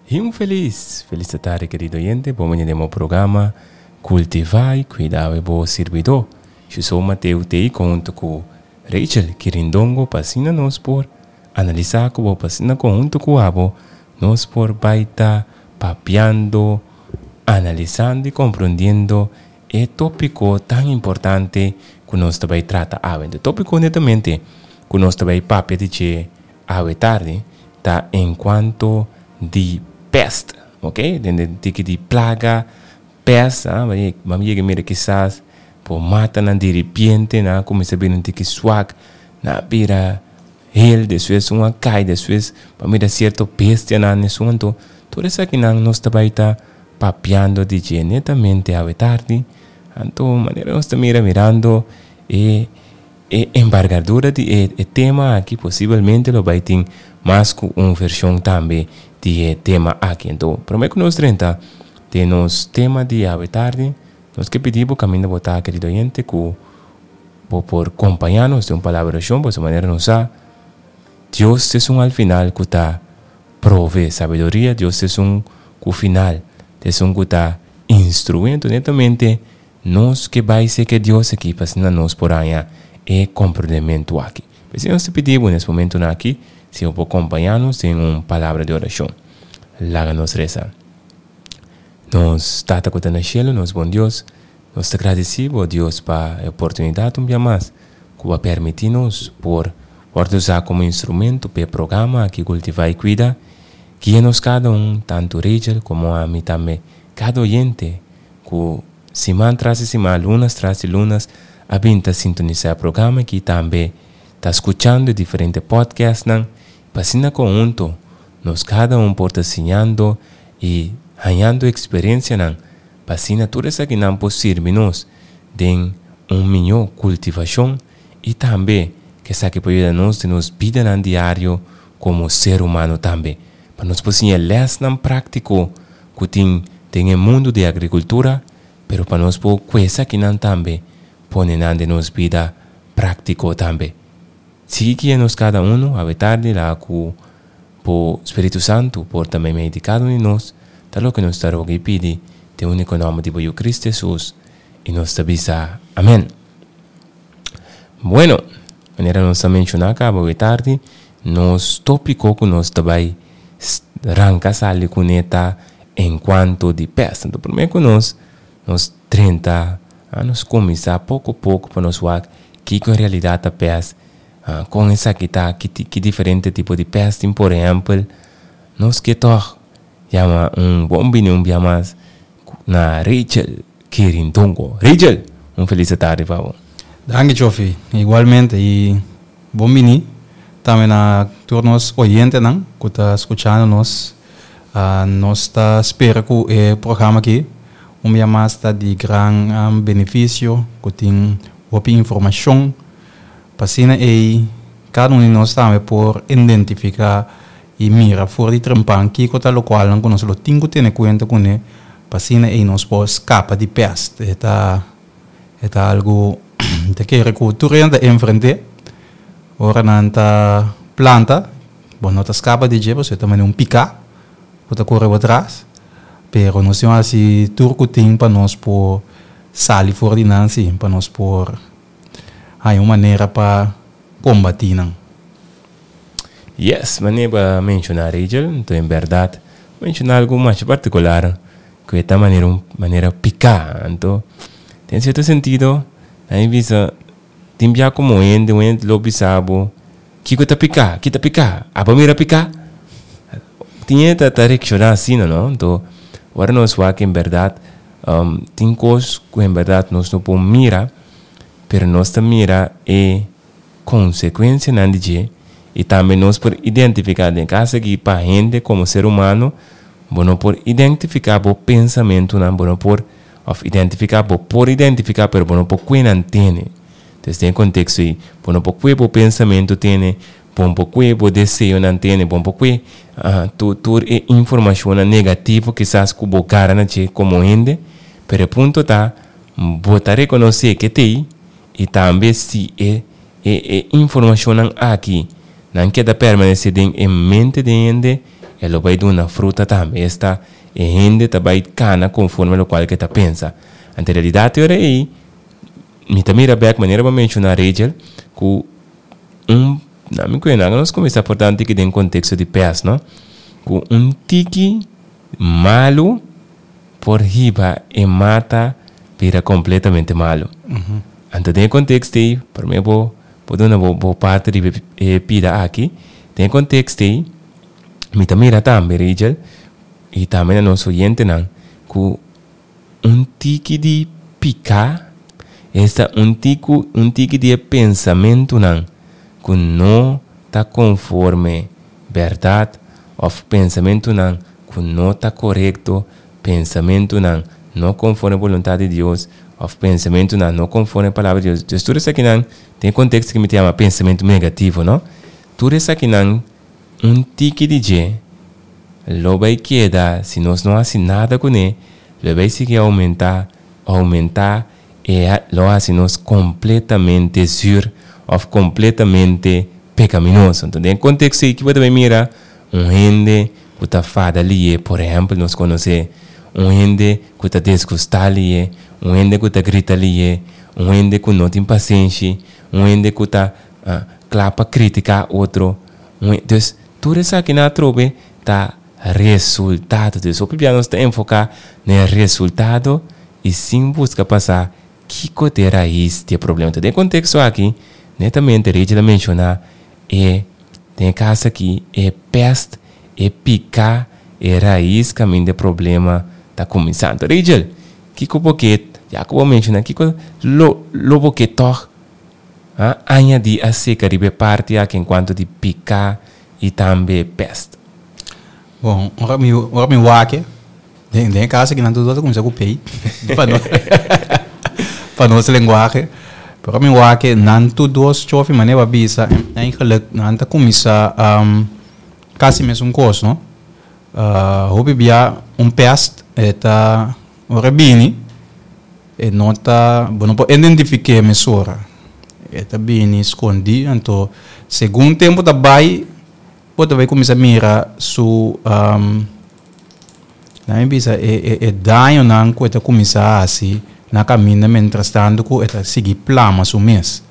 Y un feliz, feliz tarde querido oyente, bon bini den bo programa Cultiva y Cuida bo Sirbidor. Yo Mateo t'ey hunto cu Rachel Quirindongo pa asina nos por analisa cu bo, pa asina hunto cu abo nos por bay ta papiando, analisando y comprendiendo e topico tan importante cu nos ta bay trata awe. E topico netamente cu nos ta bay papia di dje awe tardi ta en cuanto di pest, ok? Den tiki di plaga, pest, ah, bam yega mira kisas por matanan di repente nan a cuminsa bira un tiki swak, nan a bira hel, despues un a cay, despues bo a mira cierto bestianan esun anto tur esakinan nos ta bay ta papiando di dje netamente awe tardi, anto manera nos ta mira mirando e E embargadura di e e tema aki posibelmente lo bai tin mas ku un vershon tambe di e tema aki. Anto, promé ku nos drenta den nos tema di awe tardi, nos ke pidi bo kaminda bo ta, kerido oyente, ku bo por kompañá nos den un palabra di orashon, pasobra manera nos sa, Dios ta esun al final ku ta prove sabiduria, Dios ta esun ku final ta esun ku ta instruí. Anto, netamente Nos ke bai seke Dios aki pa asina nos por haña e komprendementu aki. P'esei nos ta pidi bo nes momentunan aki si bo por kompañá nos den un palabra di orashon. Laga nos resa. Nos Tata ku ta na shelu, nos bon Dios, nos ta gradisí bo, Dios, pa e oportunidat un bia mas ku bo a permití nos por wòrdu usá komo instrumento pa e programa aki Kultivá i Kuida. Guia nos kada un, tantu Rachel komo ami tambe, kada oyente Ku siman tras di siman, lunas tras di lunas a bin ta sintonisá e programa aki tambe ta skuchando e diferente podcastnan pa asina konhunto nos kada un por ta siñando i hañando eksperensianan pa asina tur esakinan por sirbi nos den un mihó kultivashon i tambe ku esaki por yuda nos den nos bidanan diario komo ser humano tambe pa nos por siña lèsnan práktiko ku tin den e mundu di agrikultura, pero pa nos por ku esakinan tambe pone nan den nos bida práktiko tambe. Sigui guia nos kada unu awe tardi laga ku bo Spiritu Santu por ta meimei di kada un di nos, ta loke nos ta roga i pidi den úniko nòmber di bo Yu Kristu Hesus, i nos ta bisa, Amèn. Bueno, manera nos a menshoná kaba awe tardi, nos tópiko ku nos ta bai ranka sali kuné ta enkuanto di pèst. Anto promé ku nos nos drenta, nos kuminsá poko poko pa nos wak kiko en realidat ta pèst, kon esaki ta, ki diferente tipo di pèst tin. Por ehèmpel, nos ke tòg yama un bon bini un bia mas na Rachel Quirindongo. Rachel, un felis tardi pa bo. Danki Chofi, igualmente y bon bini tambe na tur nos oyentenan cu ta scuchando nos. Nos ta spera cu e programa aki un bia mas ta di gran beneficio, cu tin hopi informacion pa asina ey cada un di nos tambe por identifica y mira for di trempan kico ta locualnan cu nos lo tin cu tene cuenta cune pa asina ey nos por scapa di pest. E ta e ta algo ta kere cu tur hende ta enfrente ora nan ta planta bo no ta scapa di dje pasobra e ta manera un pica cu ta core bo tras pero nos tin haci tur cu tin pa nos por sali for di nan si pa nos por haña un manera pa combati nan. Yes, manera bo a menciona Rachel, enton en berdad menciona algo masha particular cu e ta manera un manera pica, anto den cierto sentido nan a bisa tin bia como hende un hende lo bisa bo kico ta pica, ki ta pica, abo mira pica? Tin hende ta reacciona asina no, anto ora nos wak en berdad tin cos cu en berdad nos no por mira pero nos ta mira e konsekuensianan di dje i tambe nos por identifiká den kas aki pa hende komo ser humano bo no por identifiká bo pensamentunan bo no por òf identifiká bo por identifiká pero bo no por kue nan tene entonces den e konteksto ei bo no por kue bo pensamentu tene bo no por kue bo deseonan tene bo no por kue tur tur e informashonnan negativo kisas ku bo gara na dje komo hende pero e punto ta bo ta rekonosé ke t'ei I tambe si e e e informashonnan aki nan keda permanesé den e mente di hende, e lo bai duna fruta tambe. Esta, e hende ta bai kana konforme lokual ku e ta pensa. Anto en realidat e ora ei, mi ta mira bèk manera bo a menshoná Rachel, ku un, na mi kuenta nos kuminsá por ta un tiki den konteksto di pès, no? Ku un tiki malu por hiba e mata bira kompletamente malu. Anto den e konteksto ei, promé bo bo duna bo bo parti riba e pida aki, den e konteksto ei mi ta mira tambe Rachel i tambe na nos oyentenan ku un tiki di piká, esta un tiku un tiki di e pensamentunan ku no ta konforme bèrdat òf pensamentunan ku no ta korekto, pensamentunan no konforme boluntat di Dios òf pensamentunan no konforme palabra di Dios. Dus tur esakinan den e konteksto ku mi ta yama pensamentu negativo, no? Tur esakinan un tiki di dje lo bai keda si nos no hasi nada kuné, lo bai sigui oumentá, oumentá e lo hasi nos kompletamente zür òf kompletamente pekaminoso. Enton den e konteksto ei ki bo ta bai mira un hende ku ta fada lié, por ehèmpel nos konosé un hende ku ta desgustá lié, un hende ku ta grita lié, un hende ku no tin pasenshi, un hende ku ta kla pa kritiká otro. Un dus tur esakinan atrobe ta resultado. Dus hopi bia nos ta enfoká na e resultado i sin buska pa sa kiko ta e rais di e problema. Den e konteksto aki, netamente Rachel a menshoná e den e kas aki e pèst, e piká, e rais kaminda e problema ta kuminsá. Anto Rachel, kiko bo ke, ya ku bo a menshoná, kiko lo lo bo ke tòg a añadí aserka riba e parti aki enkuanto di piká i tambe pèst? Bon, ora mi ora mi wak e, den den e kas aki nan tur ta kuminsá ku pei pa nos pa nos lenguahe. Pero ora mi wak e nan tur dos chofi manera bo a bisa eigenlijk nan ta kuminsá kasi mesun kos no. Hopi bia un pèst e ta ora e bini e no ta bo no por identifiké mesora. E ta bini skondí anto segun tempu ta bai Bo ta bai kuminsá mira su nan mi bisa e e dañonan ku e ta kuminsá hasi na kaminda mientrastantu ku e ta sigui plama su mes.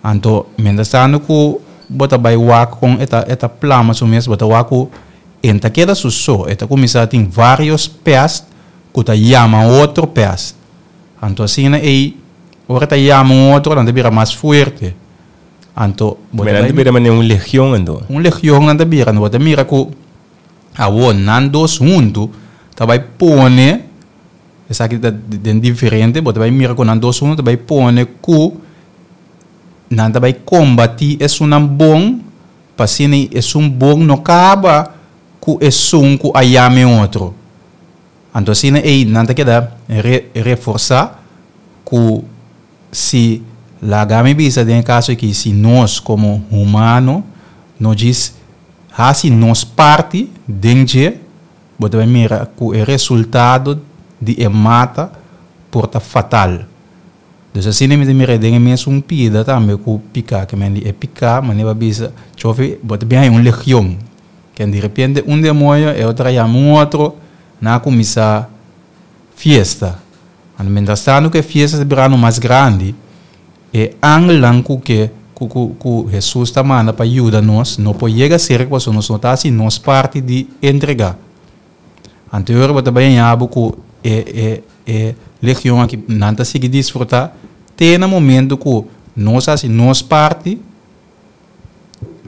Anto mientrastantu ku bo ta bai wak kon e ta e ta plama su mes bo ta wak ku e no ta keda su so, e ta kuminsá tin vários pèst ku ta yama otro pèst. Anto asina ei ora e ta yama un otro nan ta bira mas fuerte. Anto bo ta Nan ta bira manera un legion anto. Un legion nan ta bira, anto bo ta mira ku awor nan dos huntu ta bai pone, esaki ta den diferente, bo ta bai mira ku nan dos huntu ta bai pone ku nan ta bai kombatí esunnan bon pa asina esun bon no kaba ku esun ku a yama e otro. Anto asina ei nan ta keda reforsá ku Si laga mi bisa den e kaso aki, si nos komo humano no djis hasi nos parti den dje, bo ta bai mira ku e resultado di e mata por ta fatal. Dus asina mi ta mira den e mesun pida tambe ku piká, ke men di e piká, manera bo a bisa, chofi bo ta bin haña un legion, ken di repente un demoño e otro a yama un otro, nan a kuminsá fiesta. Anto mientras tanto ku e fiesta ta birando mas grandi, e angelnan ku ke ku ku ku Hesus ta manda pa yuda nos no por yega serka pasobra nos no ta hasi nos parti di entregá. Anto e ora bo ta bai haña bo ku e e e legion aki nan ta sigui disfrutá te na momento ku nos hasi nos parti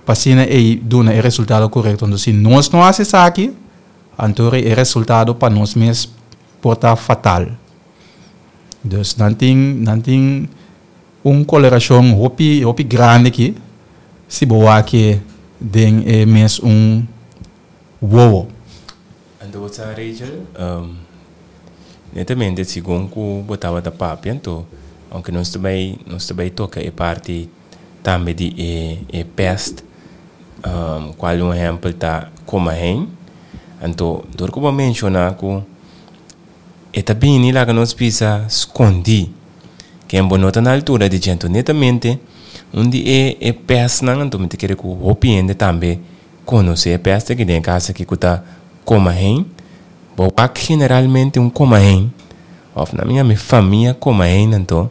pa asina ei duna e resultado korekto. Anto si nos no hasi esaki, anto e resultado pa nos mes por ta fatal. Dus nan tin nan tin un kolerashon hopi hopi grandi aki si bo wak e den e mes un wowo. Anto bo sa Rachel, netamente segun ku bo tabata papia anto aunke nos ta bai nos ta bai toka e parti tambe di e e pest cual un ehempel ta comahein anto dor cu bo a menciona cu e ta bini laga nos bisa scondi ken bo no ta na altura di dje anto netamente un di e e pestnan anto mi ta kere cu hopi hende tambe. konosé e pèst aki den e kas aki ku ta komahein. Bo wak generalmente un komahein òf nan mi yama e famia komahein anto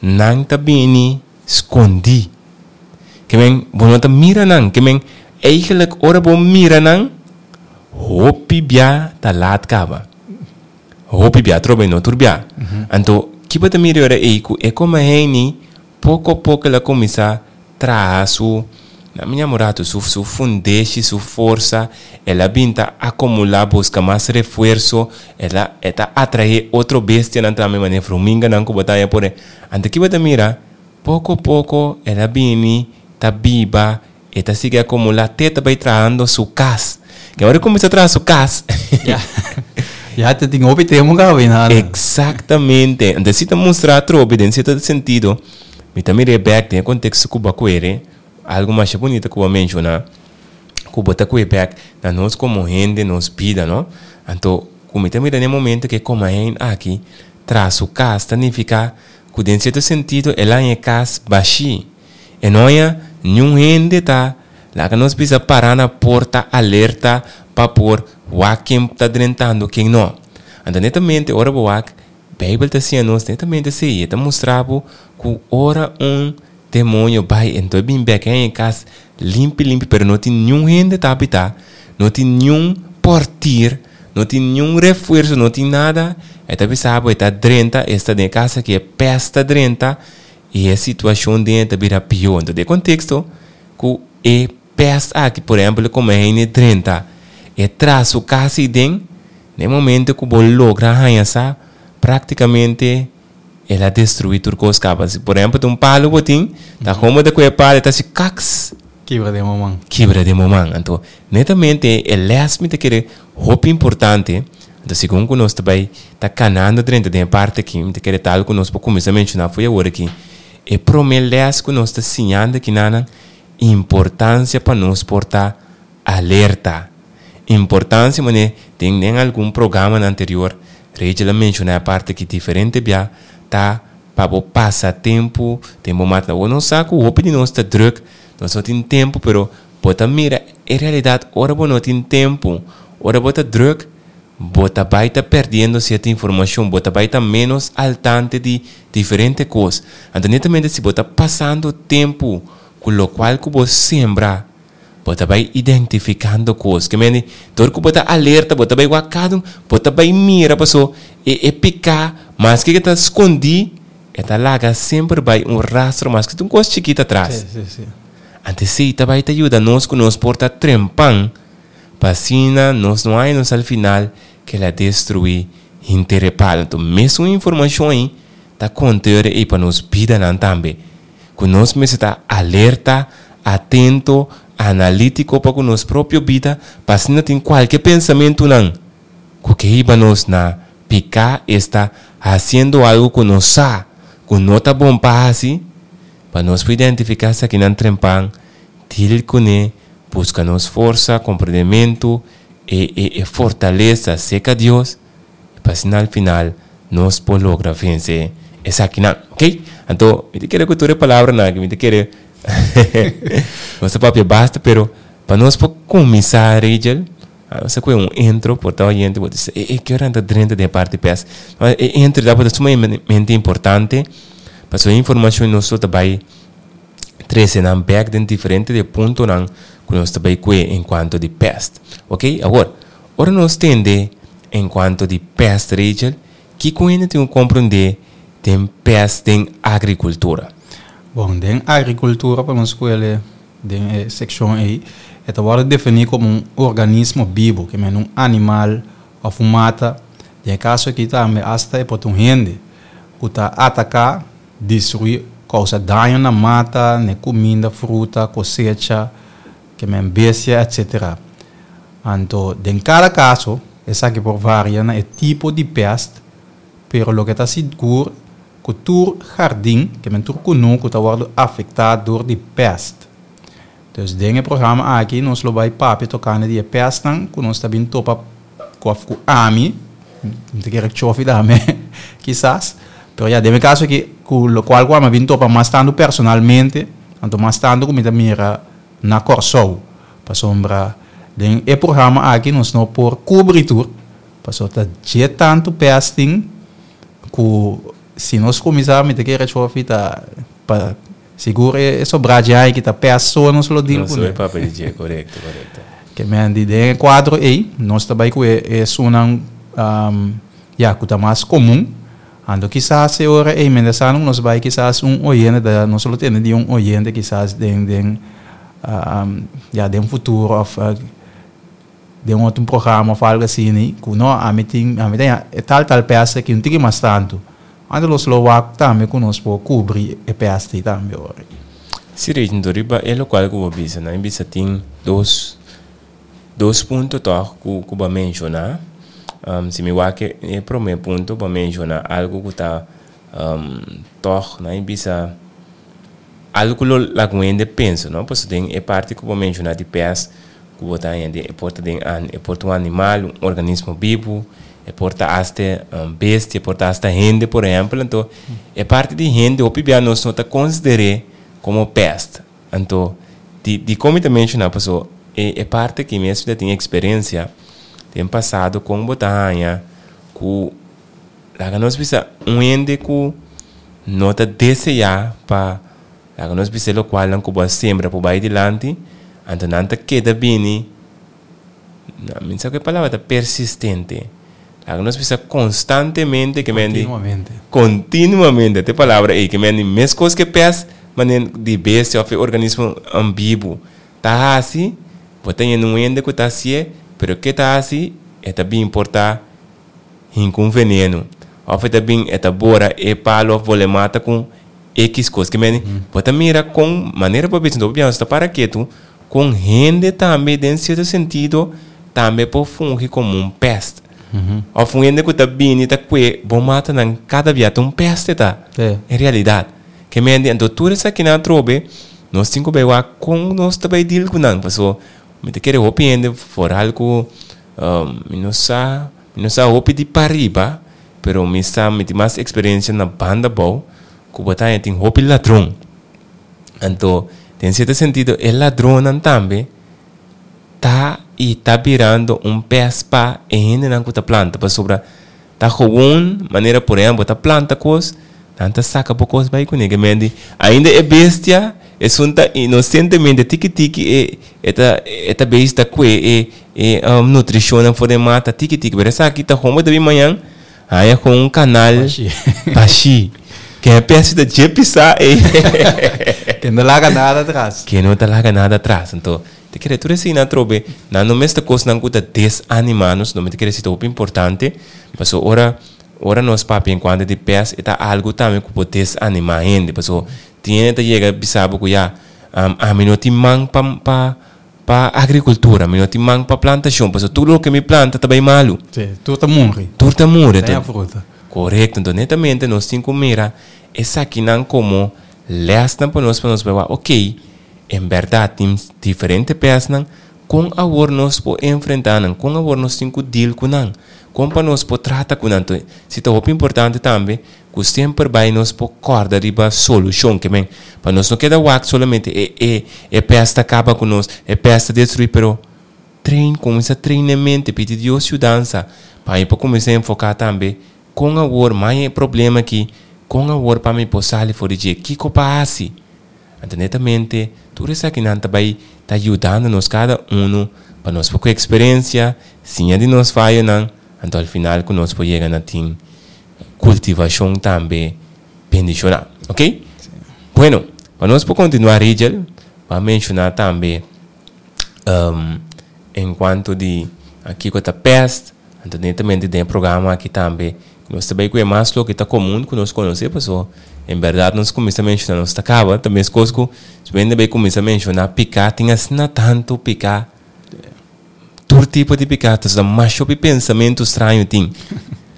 nan ta bini skondí. Ke men bo no ta mira nan. Ke men eigenlijk ora bo mira nan hopi bia ta laat kaba. Hopi bia atrobe no tur bia. Anto ki bo ta mira ora ei ku e komaheini Poko poko el a kuminsá traha su, na mi ña ratu, su su fundeshi, su forsa, el a bin ta akomulá, buska mas refuerso, el a e ta atraé otro bestianan tambe manera fruminganan ku bo ta haña por ei. Anto ki bo ta mira? Poko poko el a bini ta biba, e ta sigui akomulá te ta bai trahando su kas. Ke ora e kuminsá traha su kas. Ya te tin hopi tempu kaba i nada. Eksaktamente. Anto si ta mustra atrobe den sierto sentido, mi ta mir'é bèk den e konteksto ku bo a kuere, algu masha bunita ku bo a menshoná, ku bo ta kue bèk na nos komo hende, nos bida, no? Anto ku mi ta mira den e momento ku e komahein aki traha su kas ta nifiká ku den sierto sentido el a haña e kas bashí. E no haña niun hende ta laga nos bisa pará na porta alerta pa por wak ken ta drentando ken no. Anto netamente ora bo wak, Beibel ta siña nos netamente esei. E ta mustra bo ku ora un demoño bai enton e bin bek e haña e kas limpi limpi pero no tin niun hende ta habitá, no tin niun portir, no tin niun refuerso, no tin nada. E ta bisa bo e ta drenta, esta den e kas aki e pèst ta drenta I e situashon den e ta bira pió. Enton den e konteksto ku e pèst aki, por ehèmpel e kome hende drenta, e traha su kas ei den, den e momento ku bo logra haña sa, praktikamente el a destruí tur kos kaba. Si por ehèmpel ta un palu bo tin, ta kon bo ta kohe e palu e ta hasi kaks. Kibra den bo man. Kibra den bo man. Anto, netamente e lès mi ta kere hopi importante. Anto segun ku nos ta bai ta kanando drenta den e parti aki, mi ta kere tal ku nos por kuminsá menshoná fo'i awor aki, e promé lès ku nos ta siñando aki nanan, importansia pa nos por ta alerta. Importansia manera den den algun programanan anterior Rachel a menshoná e parti aki diferente bia, ta pa bo pasa tempu den bo mata. Awor nos sa ku hopi di nos ta drùk, nos no tin tempu, pero Bo ta mira e realidat ora bo no tin tempu, ora bo ta druk, bo ta bai ta perdiendo sierto informashon, bo ta bai ta menos al tante di diferente kos. Anto netamente si bo ta pasando tempu ku lokual ku bo sembra, bo ta bai identifikando kos. Ke mende, dor ku bo ta alerta, bo ta bai wak kada un, bo ta bai mira paso e e piká, maske ke ta skondí, e ta laga semper bai un rastro maske ta un kos chikit atras. Sí, sí, sí. Antes esei ta bai ta yuda nos ku nos por ta trempan pa asina nos no haña nos al final ke la destruí hinter e palo. Anto mesun informashon ei ta konta yora ei pa nos bidanan tambe. Ku nos mester ta alerta, atento, analítiko pa ku nos propio bida pa asina tin kualke pensamentunan ku ke hiba nos na piká, esta hasiendo algu ku nos sa ku no ta bon pa hasi. Pa nos por identifiká esakinan trempan, deal kuné, buska nos forsa, komprendementu, e e e fortalesa serka Dios, i pa asina al final nos por logra vense esakinan. Ok? Anto, mi ta kere ku tur e palabranan aki, mi ta kere nos ta papia basta, pero pa nos por kuminsá, Rachel, nos ta kohe un intro, por ta oyente bo ta bisa, e e ke ora nan ta drenta den e parti pes? E intro tabata sumamente importante. Pasobra e informashon nos lo ta bai trese nan bek den diferente di e puntonan ku nos ta bai kue en kuanto di pèst. Oke, awor, ora nos tende en kuanto di pèst, Rachel, kiko hende tin ku komprondé den pèst den agrikultura? Bon, den agrikultura pa nos skuele den e sekshon ei, e ta wòrdu definí komo un organismo bibu, ke men un animal òf un mata, den e kaso aki tambe asta e por ta un hende. ku ta ataká, destruí, kousa daño na mata, na e kuminda, fruta, kosecha, ke men bestia, etsetera. Anto, den kada kaso, esaki por varia na e tipo di pèst, pero loke ta sigur ku tur hardin, ke men tur kunuku ta wòrdu afektá dor di pèst. Dus den e programa aki nos lo bai papia tokante di e pèstnan ku nos ta bin topa ku òf ku ami, mi ta kere chofi tambe kisas, pero ya den mi kaso aki ku lokual ku ami a bin topa mas tantu personalmente, anto mas tantu ku mi ta mira na Kòrsou. Pasobra den e programa aki nos no por kubri tur, pasobra ta dje tantu pèst tin ku si nos kuminsá mi ta kere Chofi ta pa sigur e sobrá dje aki ta pèst so nos lo deal kuné. Nos lo papia di dje, korekto, korekto. Ke men di den e kuadro ei nos ta bai ku e esunnan ya ku ta mas komun. Anto kisas e ora ei mientras tanto nos bai kisas un oyente ta nos lo tende di un oyente kisas den den ya den futuro of den otro programa of algo asina ku no ami tin ami ta e tal tal pèst aki un tiki mas tantu anto nos lo wak tambe ku nos por kubri e pèst ei tambe ora. Si Reginto riba e lokual ku bo bisa nan bisa tin dos Dos punto tòg ku ku bo a menshoná. Si mi wak e promé punto bo a menshoná algu ku ta tòg nan e bisa algu ku lo laga un hende pensa no pasobra den e parti ku bo a menshoná di pès ku bo ta haña den e por ta den e por ta un animal un organismo bibu e por ta asta bestia e por ta asta hende por ehèmpel anto e parti di hende hopi bia nos no ta konsider'é komo pèst. Anto, di dikon mi ta menshoná? Paso e e parti aki mes mi ta tin eksperensia den pasado kon bo ta haña ku laga nos bisa un hende ku no ta deseá pa laga nos bisa e lokualnan ku bo a sembra por bai dilanti, anto nan ta keda bini. Mi sa ku e palabra ta persistente. Laga nos bisa konstantemente ke men di. Kontinuamente. Kontinuamente ta e palabra ei ke men di meskos ke pes manera di bestia òf e organismo bibu ta hasi, bo ta yendo un hende ku ta hasié, pero ke ta hasi e ta bin por ta hinka un veneno òf e ta bin e ta bora e palo òf bole mata ku ekis kos. Ke men di bo ta mira kon manera bo bisa bo ta para ketu. Kon hende tambe den sierto sentido tambe por fungi komo un pèst. Òf un hende ku ta bini ta kue bo matanan kada bia ta un pèst e ta en realidat. Ke mente anto tur esakinan atrobe nos tin ku bai wak kon nos ta bai deal ku nan paso mi ta kere hopi hende foral ku mi no sa mi no sa hopi di pariba pero mi sa mi tin mas eksperensia na banda abou ku bo ta haña tin hopi ladron. Anto, den sierto sentido, e ladronnan tambe ta i ta birando un pes pa e hendenan ku ta planta, pasobra ta gewoon manera por ehempel bo ta planta kos, nan ta saka bo kos bai kuné. Ke mende ainda e bestia esun ta inosentemente tiki tiki e e ta e ta bezig ta kue e e nutrishonnan for den mata tiki tiki, pero esaki ta gewoon bo ta bin mañan Haña kon un kanal bashí. Ken e pèsi ta dje pisá ei. Ken no laga nada atras. Ken no ta laga nada atras. Anto, ta kere tur esei atrobe, nan no mester kosnan ku ta desanimá nos, no. Mi ta kere si ta hopi importante, pasobra ora, ora nos papia en kuanto di pès, e ta algu tambe ku por desanimá hende. Pasobra tin hende ta yega bisa bo ku ya, ami no tin man pa, pa. Pa agrikultura mi no tin man pa plantashon pasobra tur loke mi planta ta bai malu. Sí, tur ta muri. Tur ta muri. Ten fruta. Korekto. Enton netamente nos tin ku mira esakinan komo lèsnan pa nos pa nos bai wak okey en bèrdat tin diferente pèsnan kon awor nos por enfrentá nan kon awor nos tin ku deal ku nan kon pa nos por trata ku nan. Enton si ta hopi importante tambe Ku semper bai nos por kòrda riba solushon, ke men pa nos no keda wak solamente e e e pèst ta kaba ku nos, e pèst ta destruí, pero train, kuminsá train e mente, pidi Dios yudansa pa mi por kuminsá enfoká tambe kon awor maña e problema aki, kon awor pa mi por sali for di dje, kiko pa hasi. Anto netamente tur esakinan ta bai ta yudando nos kada unu pa nos por ku eksperensia, siña di nos fayonan, anto al final ku nos por yega na tin kultivashon tambe bendishoná. Ok? Bueno, pa nos por kontinuá Rigel, bo a menshoná tambe en kuanto di kiko ta pèst, anto netamente den e programa aki tambe nos ta bai ku e mas loke ta komun ku nos konosé paso en bèrdat nos kuminsá menshoná nos ta kaba, ta meskos ku si bo hende bai kuminsá menshoná piká tin asina tantu piká. Tur tipo di piká ta sa masha hopi pensamentu straño tin.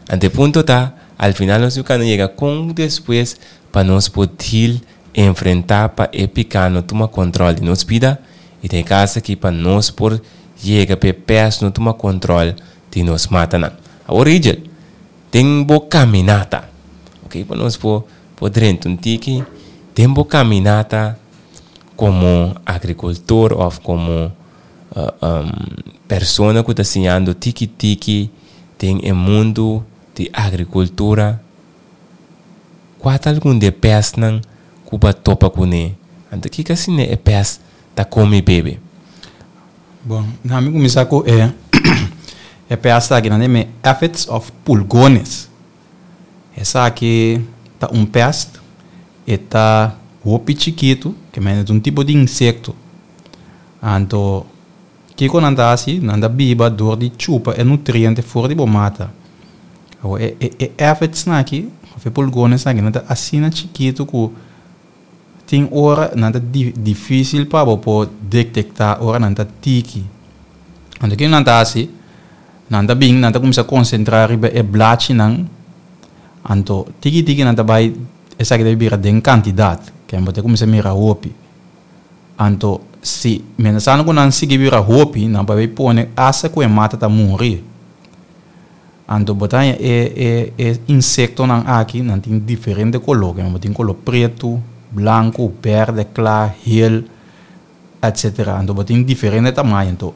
Anto e punto ta, al final nos tin kanda yega kon despues pa nos por deal, enfrentá pa e piká no tuma kòntròl di nos bida i den e kas aki pa nos por yega pa e pès no tuma kòntròl di nos matanan. Awor Rigel, den bo kaminata, ok, pa nos por por drenta un tiki, den bo kaminata komo agrikultor òf komo. Persona ku ta siñando tiki tiki den e mundu di agrikultura, kua ta algun di e pèstnan ku bo a topa kuné? Anto kiko asina e pèst ta kome i bebe? Bon, na mi kuminsá ku e e pèst aki, nan ta yama e aphids òf pulgones. Esaki ta un pèst, e ta hopi chikitu, ke mende e ta un tipo di insekto. Anto, kiko nan ta hasi? Nan ta biba dor di chupa e nutriente for di bo mata. Awor, e e e aphidsnan aki, òf e pulgonesnan aki, nan ta asina chikitu ku tin ora nan ta difísil pa bo por detektá ora nan ta tiki. Anto, kiko nan ta hasi? Nan ta bin, nan ta kuminsá konsentrá riba e blachinan. Anto, tiki tiki nan ta bai, esaki ta bira den kantidat, ke bo ta kuminsá mira hopi. Anto, si mientrasnan ku nan sigui bira hopi, nan por bai pone asta ku e mata ta muri. Anto bo ta haña e e e insektonan aki, nan tin diferente koló. Bo tin koló pretu, blanku, bèrdè, kla, hel, etsetera. Anto bo tin diferente tamaño. Anto,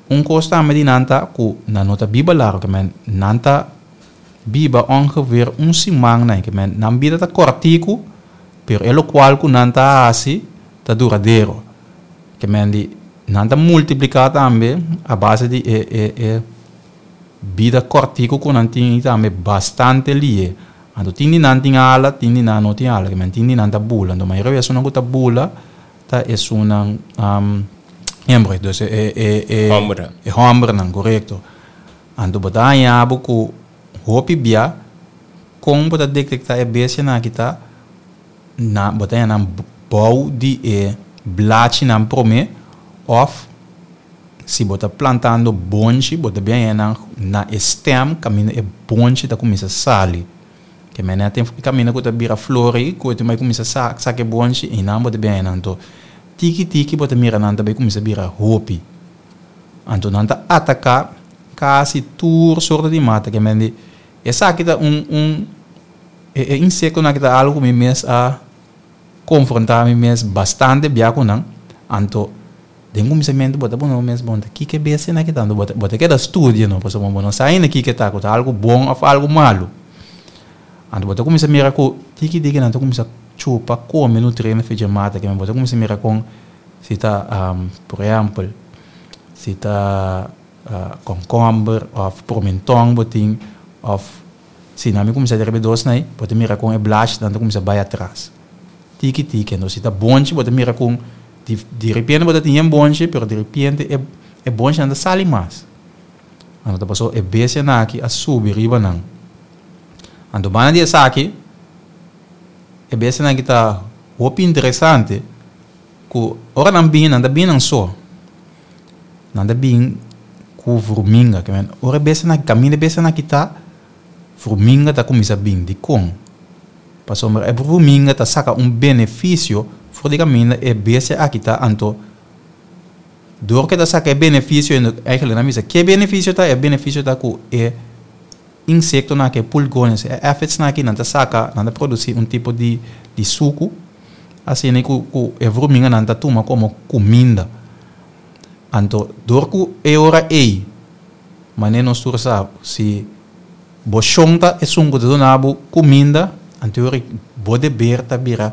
un kos tambe di nan ta ku nan no ta biba largu, ke men nan ta biba ongeveer un siman nan, ke men nan bida ta kòrtiku. Pero e lokual ku nan ta hasi ta duradero. Ke men di nan ta multipliká tambe a base di e e e bida kòrtiku ku nan tin i tambe bastante lihe. Anto tin di nan tin ala, tin di nan no tin ala. Ke men tin di nan ta bula. Anto mayoria di esunnan ku ta bula ta esunnan hembra. Dus e e e Hòmbernan. E hòmbernan, korekto. Anto bo ta haña bo ku hopi bia. Kon bo ta detektá e bestianan aki ta na bo ta haña nan bou di e blachinan promé òf si bo ta plantando bonchi bo ta bin haña nan na e stem kaminda e bonchi ta kuminsá sali. Ke manera tin kaminda ku ta bira flor ei ku e tin bai kuminsá saka e bonchi einan bo ta bin haña nan. Anto tiki tiki bo ta mira nan ta bai kuminsá bira hopi. Anto nan ta ataká kasi tur sorto di mata ke mende Esaki ta un un e e insektonan aki ta algu ku mi mes a konfrontá mi mes bastante bia ku nan. Anto den kuminsamentu bo ta pone bo mes bon ta kiko e bestianan aki ta? Anto bo ta bo ta keda studia no pasobra bo no sa ainda kiko e ta, ku ta algu bon òf algu malu. Anto bo ta kuminsá mira ku tiki tiki nan ta kuminsá chupa, kome nutriente for dje mata aki. Bo ta kuminsá mira kon si ta por ehèmpel si ta. Kònkòmber òf promentòn bo tin òf si nan mi kuminsá di riba e dos nei bo ta mira kon e blachinan ta kuminsá bai atras tiki tiki anto si ta bonchi bo ta mira kon di di repente bo ta tin yen bonchi pero di repente e e bonchinan ta sali mas anto ta pasobra e bestianan aki a subi riba nan anto banda di esaki e bestianan aki ta hopi interesante ku ora nan bini nan ta bini nan so. Nan ta bin ku vruminga. Ke men ora e bestianan kaminda e bestianan aki ta, vruminga ta kuminsá bin. Dikon? Pasobra e vruminga ta saka un benefisio for di kaminda e bestia aki ta. Anto dor ku e ta saka e benefisio eigentlik nan bisa ke benefisio ta? E benefisio ta ku e insektonan aki, e pulgones, e aphidsnan aki nan ta saka, nan ta produsí un tipo di di suku asina ku ku e vruminganan ta tuma komo kuminda. Anto dor ku e ora ei, manera nos tur sa, si bo shon ta esun ku ta duna bo kuminda, anto e ora bo deber ta bira,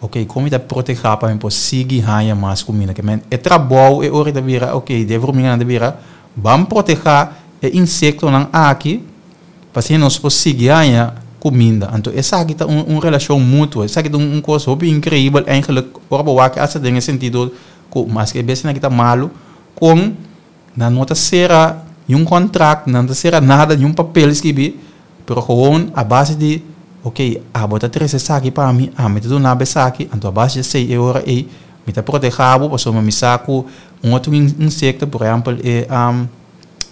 ok, kon mi ta protehá pa mi por sigui haña mas kuminda? Ke men e trabou e ora ta bira, ok, di e vruminganan ta bira, ban protehá e insektonan aki pa asina nos por sigui haña kuminda. Anto esaki ta un relashon mutuo, esaki ta un kos hopi inkreibel eigenlik ora bo wak asta den e sentido Ku maske e bestianan aki ta malu, kon nan no ta sera niun kontrakt, nan no ta sera nada, niun papel skibi, pero gewoon a base di, ok, abo ta trese esaki pa mi, ami ta duna bo esaki, anto a base di esei e ora ei mi ta proteha bo pasobra mi sa ku un otro insekto, por ehèmpel e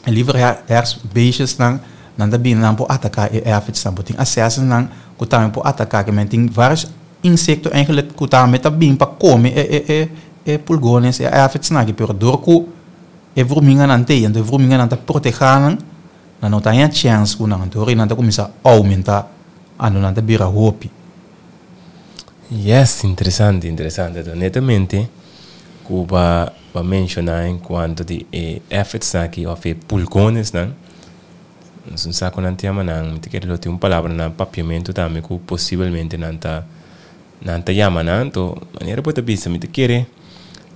lieverhersbeestjesnan, nan ta bini nan por ataka e aphidsnan, bo tin asesnan ku tambe por ataka, ke men tin varios. Insekto eigenlijk ku tambe ta bin pa kome e e e e pulgones, e aphidsnan aki, pero dor ku e vruminganan t'ei, anto e vruminganan ta protehá nan, nan no ta haña chèns ku nan, anto ora nan ta kuminsá oumentá, anto nan ta bira hopi. Yes, interesante, interesante. Anto netamente. ku bo a menshoná en kuanto di e effortsnan aki òf e pulgonesnan. Nos no sa kon nan ta yama nan, mi ta kere lo tin un palabra na papiamentu tambe ku posibelmente nan ta nan ta yama nan. Anto manera bo ta bisa mi ta kere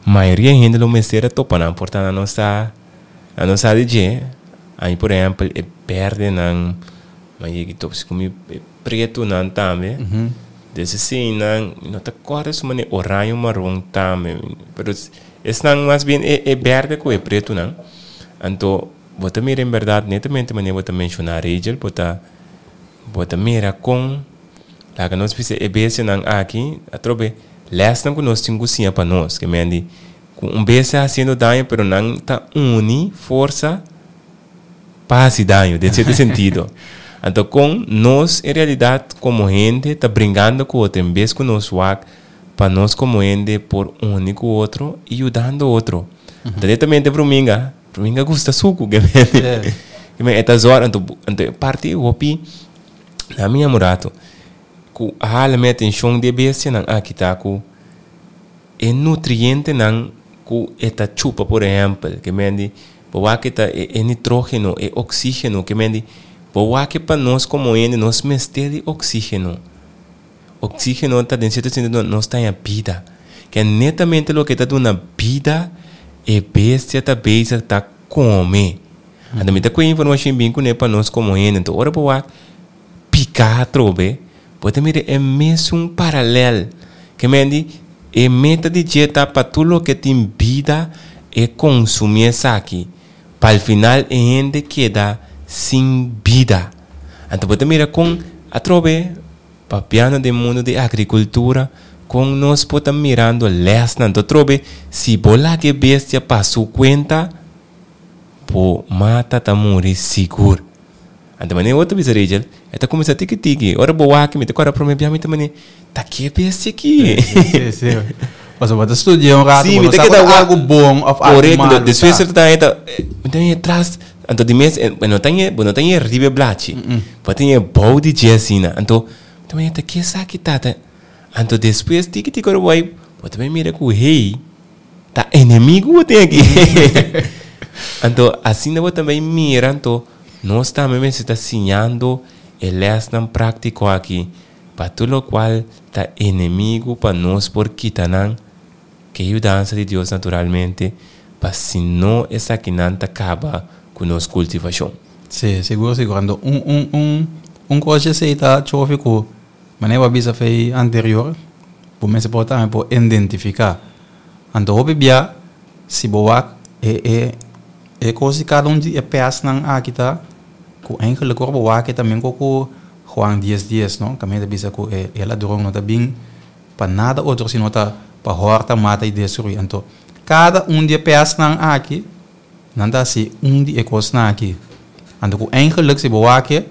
mayoria hende lo mester a topa nan por ta nan no sa nan no sa di dje. Ami por ehèmpel e bèrdenan mi a yega i topa si ku mi e pretunan tambe. Des eseinan mi no ta kòrda su manera oraño maron tambe pero esnan mas bien e bèrde ku e pretunan. Anto Bo ta mira en berdad netamente manera bo ta menciona Rachel, bo ta bo ta mira con laga nos bisa e bestianan aki atrobe lesnan cu nos tin cu siña pa nos, ke men di cu un bestia haciendo daño pero nan ta uni forsa pa haci daño den cierto sentido. Anto con nos en realidad como hende ta bringando cu otro en bes cu nos wak pa nos como hende por uni cu otro y yudando otro. Anto netamente Bruminga. Ruminga gusta suku ke men. Ke men e ta zòrg anto anto e parti hopi na mi amurato ku a hala mi atenshon di e bestianan aki ta ku e nutrientenan ku e ta chupa por ehèmpel ke men di bo wak e ta e nitrógeno e oksígeno ke men di bo wak pa nos komo hende nos mester di oksígeno. Oxígeno ta den cierto sentido nos ta haña bida. Ke netamente loke ta duna bida e bestia ta bezig ta come. Anto mi ta coge informacion bin cune pa nos como hende. Anto ora bo wak pica atrobe, bo ta mira e mesun paralel. Ke men di e meta di dje ta pa tur loke tin bida e consumi esaki. Pa al final e hende keda sin bida. Anto bo ta mira kon atrobe papiando den mundo di agrikultura kon nos por ta mirando lèsnan. Anto atrobe si bo laga e bestia pa su kuenta bo mata ta muri sigur. Anto manera bo ta bisa Rachel e ta kuminsá tiki tiki. Ora bo wak mi ta kòrda promé bia mi ta manera ta ke bestia aki? Sí, sí. Pasobra bo ta studia un rato, bo no sa ku ta algu bon òf algu malu. Korekto. Despues ta ta mi ta haña tras anto di mes bo no ta haña bo no ta haña riba e blachi. Bo ta haña bou di dje asina. Anto mi ta manera ta ke esaki ta ta? Anto despues tiki tiki ora bo bai bo ta bai mira ku hey ta enemigu bo tin aki. Anto asina bo ta bai mira anto nos tambe mester ta siñando e lèsnan práktiko aki pa tur lokual ta enemigu pa nos por kita nan, ke yudansa di Dios naturalmente, pa si no esakinan ta kaba ku nos kultivashon. Sí, sigur sigur. Anto un un un un kos esei ta chofi ku manera bo a bisa fei anterior, bo mester por tambe por identifiká. Anto hopi bia si bo wak e e e kos di kada un di e pèsnan aki ta ku eigenlik ora bo wak e ta men ku Juan dies dies no kaminda ta bisa ku e ladron no ta bin pa nada otro sino ta pa hòrta, mata i destruí. Anto kada un di e pèsnan aki nan ta hasi un di e kosnan aki. Anto ku eigenlik si bo wak e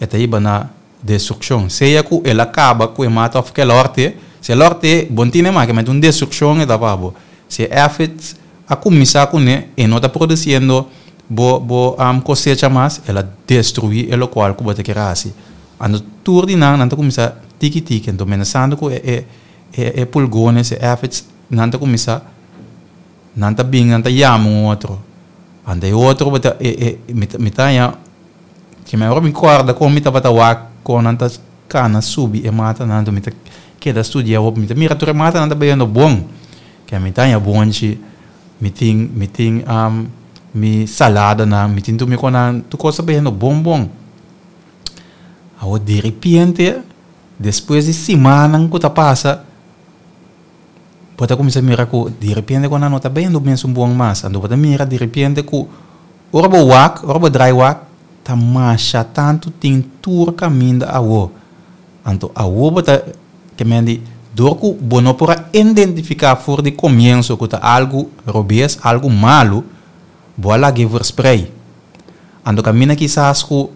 e ta hiba na destrukshon. Sea ku el a kaba ku e mata òf ku el a hòrt'é, si el a hòrt'é bo no tene mas, kimente un destrukshon e ta pa bo. Si e èfits a kuminsá kuné, e no ta produsiendo bo bo kosecha mas, el a destruí e lokual ku bo ta kere hasi. Anto tur di nan, nan ta kuminsá tiki tiki. Anto menasando ku e e e pulgones, e èfits, nan ta kuminsá, nan ta bin, nan ta yama un otro. Anto e otro bo ta e e mi ta mi ta haña Ki mi ora mi kòrda kon mi tabata wak kon nan ta kana subi e matanan, anto mi ta keda studia hopi. Mi ta mira tur e matanan ta bayendo bon. Ke mi ta haña bonchi, mi tin mi tin mi saladanan, mi tin tur mi konan, tur kos ta bayendo bon bon. Awor diripiente despues di simannan ku ta pasa, bo ta kuminsá mira ku diripiente ku nan no ta bayendo mesun bon mas. Anto bo ta mira diripiente ku Ora bo wak, ora bo drai wak, ta masha tantu tin tur kaminda awo. Anto awo bo ta ke men di, dor ku bo no por a identifiká for di komienso ku ta algu robes, algu malu, bo a lag'é versprei. Anto kaminda kisas ku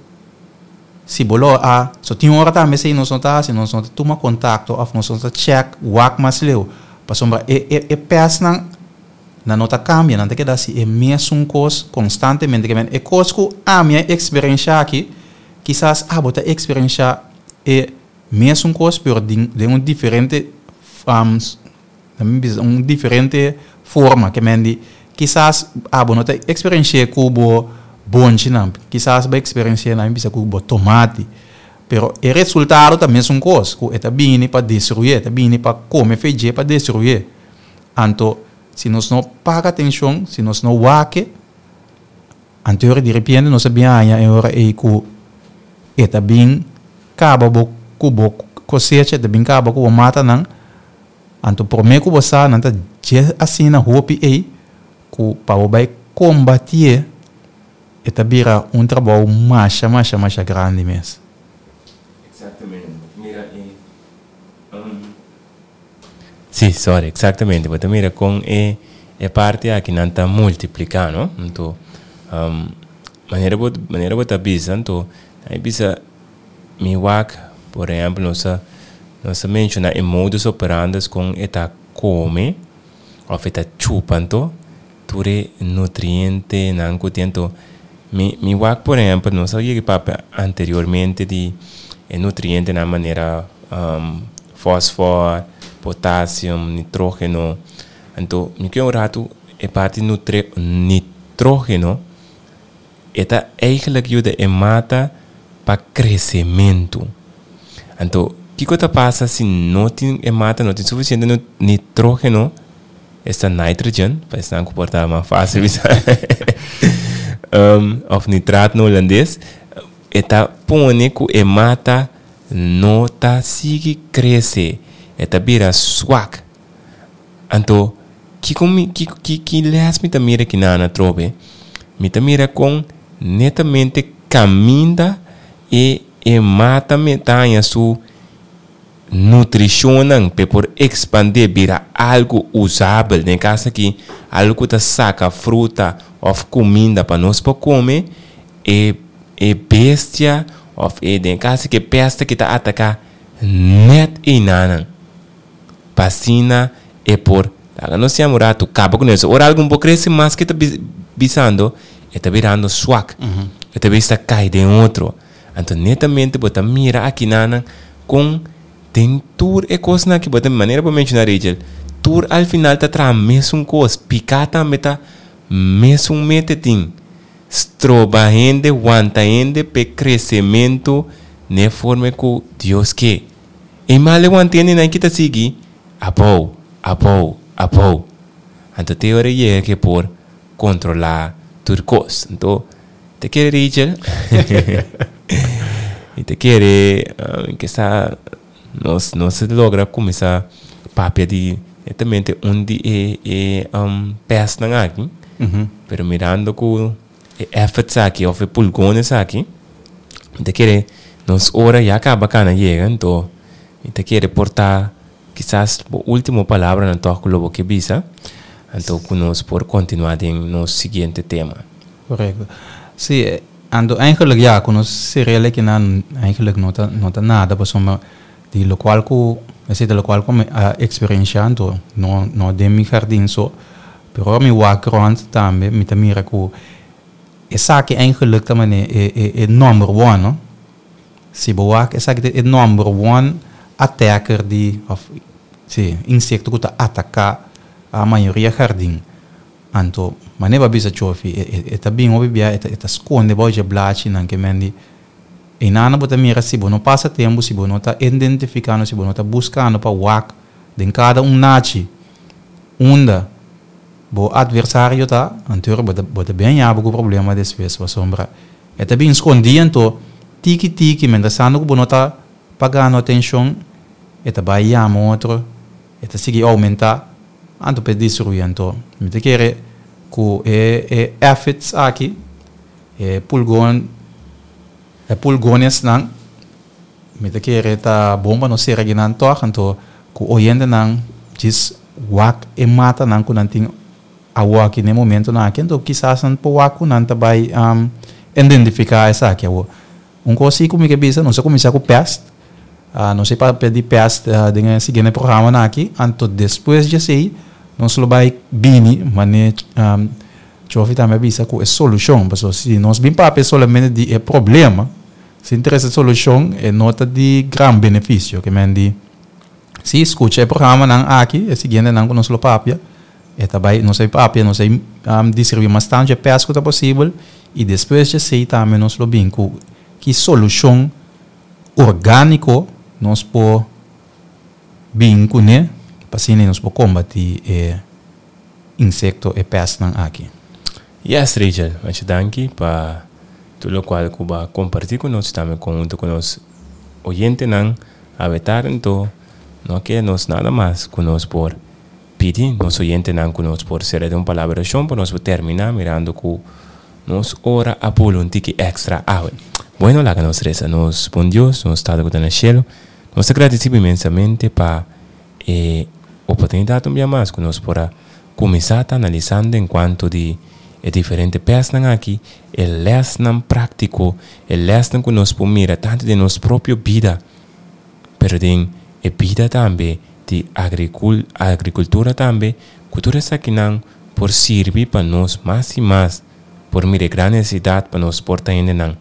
si bo lo a, so tin ora tambe esei nos no ta hasi, nos no ta tuma kontakto òf nos no ta chèk wak mas leu, pasobra e e e pèsnan Nan no ta kambia, nan ta keda hasi e mesun kos konstantemente. Ke men e kos ku ami a eksperenshá aki, kisas abo ta eksperenshá e mesun kos pero den un diferente, mi bisa un diferente forma. Ke men di, kisas abo no ta eksperensh'é ku bo bonchinan, kisas bo eksperensh'é nan bisa ku bo tomati, pero e resultado ta mesun kos, ku e ta bini pa destruié, e ta bini pa kome feidjé pa destruié. Anto, si nos no paga atenshon, si nos no wak e, anto e ora di repente nos a bin haña e ora ei ku e ta bin kaba bo ku bo kosecha, e ta bin kaba ku bo matanan. Anto promé ku bo sa nan ta dje asina hopi ei ku pa bo bai kombatié e ta bira un trabou masha masha masha grandi mes. Exactamente. Mira e Sí, sorry, exactamente. Bo ta mira kon e e parti aki nan ta multipliká, no? Anto manera bo manera bo ta bisa anto nan bisa Mi wak, por ehempel, nos a nos a menciona e modus operandes con e ta come of e ta chupa anto tur e nutrientenan cu tin anto mi mi wak por ehempel nos a yega papia anteriormente di e nutrientenan manera fosfor, potassium, nitrogeno anto mi ke un rato e parti nutre nitrogeno. E ta eigenlijk yuda e mata pa kresementu. Anto, kiko ta pasa si no tin e mata no tin sufisiente nitrógeno, esta nitrogen, pa esnan ku por ta mas fásil bisa, òf nitraat na hulandes, e ta pone ku e mata no ta sigui krese, e ta bira swak. Anto, kiko mi, ki, ki, ki les mi ta mira kinan atrobe? Mi ta mira kon netamente kaminda e e mata me ta haña su nutrishonnan p'e por ekspandé bira algu usabel, den e kas aki algu ku ta saka fruta òf kuminda pa nos por kome, e e bestia òf e den e kas aki e pèste ki ta ataká nèt einanan. Pa asina e por laga nos siña un ratu kaba ku nos. Ora algun por krese mas ke ta bisando, e ta birando swak. E ta bisa kai den otro. Anto netamente bo ta mira akinanan kon den tur e kosnan aki bo ta manera bo menshoná Rachel, tur al final ta traha mesun kos. Piká tambe ta mesun mete tin. Stroba hende, wanta hende p'e kresementu n'e forma ku Dios ke. E mal e wantende nan ki ta sigui abou, abou, abou. Anto te ora e yega ke por kontrolá tur kos. Anto ta kere Rachel i ta kere ke sa nos nos a logra kuminsá papia di netamente un di e e pèstnan aki. Pero mirando ku E efforts aki of e pulgones aki mi ta kere nos ora ya kaba kana yega anto mi ta kere por ta kisas bo ultimo palabranan tòg ku lo bo ke bisa anto ku nos por kontinuá den nos siguiente tema. Korekto. Si, anto eigenlijk ya ku nos serel akinan eigenlijk no ta no ta nada pasobra di lokual ku esei ta lokual ku mi a eksperenshá anto no no den mi hardin so Pero ora mi wak rond tambe mi ta mira ku esaki eigenlijk ta mane e e e number one no. Si bo wak esaki ta e number one attacker di of si insekto ku ta ataka a mayoria hardin. Anto mane bo a bisa Chofi e e e ta bin hopi bia e ta e ta skonde bou dje blachinan ke men di einana bo ta mira si bo no pasa tempu si bo no ta identifikando si bo no ta buskando pa wak den kada un nachi Unda bo adversario ta, anto bo ta bo ta bin haña bo ku problema despues pasobra e ta bin skondí anto tiki tiki mientrasando ku bo no ta pagando atenshon e ta bai yama otro e ta sigui oumentá anto pa e destruí anto mi ta kere ku e e efforts aki e pulgon e pulgonesnan Mi ta kere ta bon pa nos sera kinan tòg, anto ku oyentenan djis wak e matanan ku nan tin awoki na e momentonan aki, anto kisas nan por wak ku nan ta bai identifiká esaki awor. Un kos si ku mi ke bisa, nos a kuminsá ku pèst, nos a papia di pèst den e siguiente programanan aki, anto despues di esei nos lo bai bini manera Chofi tambe a bisa ku e solushon, pasobra si nos bin papia solamente di e problema, Sin trese solushon e no ta di gran benefisio. Ke men di, si skucha e programanan aki, e siguientenan ku nos lo papia, E ta bai, nos a papia, nos a deskribí mas tantu e pèst ku ta posibel i despues di esei tambe nos lo bin ku ki solushon orgániko nos por bin kuné pa asina nos por kombatí e insekto, e pèstnan aki. Yes Rachel, masha danki pa tur lokual ku bo a kompartí ku nos i tambe konhunto ku nos oyentenan awe tarde. Anto no keda nos nada mas ku nos por pidi nos oyentenan ku nos por sera den un palabra orashon pa nos por terminá mirando ku nos ora a bula un tiki èkstra awe. Bueno, laga nos resa. Nos bon Dios, nos Tata ku ta na shelu, nos ta gradisí bo inmensamente pa e oportunidat un bia mas ku nos por a kuminsá ta analisando en kuanto di e diferente pèsnan aki, e lèsnan práktiko, e lèsnan ku nos por mira tantu den nos propio bida, pero den e bida tambe di agrikultura tambe, ku tur esakinan por sirbi pa nos mas i mas por mira e gran nesesidat pa nos por ta hendenan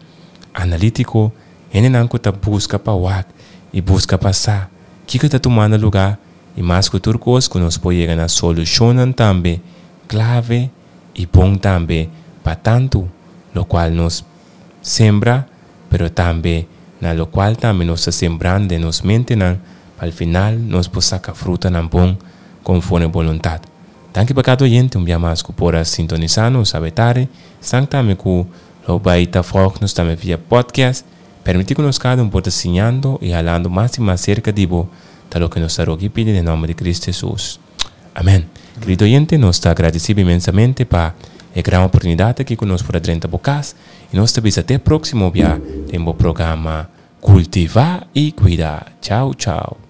analítiko, hendenan ku ta buska pa wak i buska pa sa kiko ta tumando lugá i mas ku tur kos ku nos por yega na solushonnan tambe klave i bon tambe pa tantu lokual nos sembra pero tambe na lokual tambe nos ta sembrando den nos mentenan pa al final nos por saka frutanan bon konforme boluntat. Danki pa kada oyente un bia mas ku por a sintonisa nos awe tarde. Esnan tambe ku lo bai ta volg nos tambe via podcast. Permiti ku nos kada un por ta siñando i halando mas i mas serka di bo ta loke nos ta roga i pidi den nomber di Cristo Jesus. Amen. Kerido oyente, nos ta agradeci bo inmensamente pa e gran oportunidad aki cu nos por a drenta bo cas y nos ta bisa te proximo bia den bo programa Cultiva y Cuida. Chao, chao.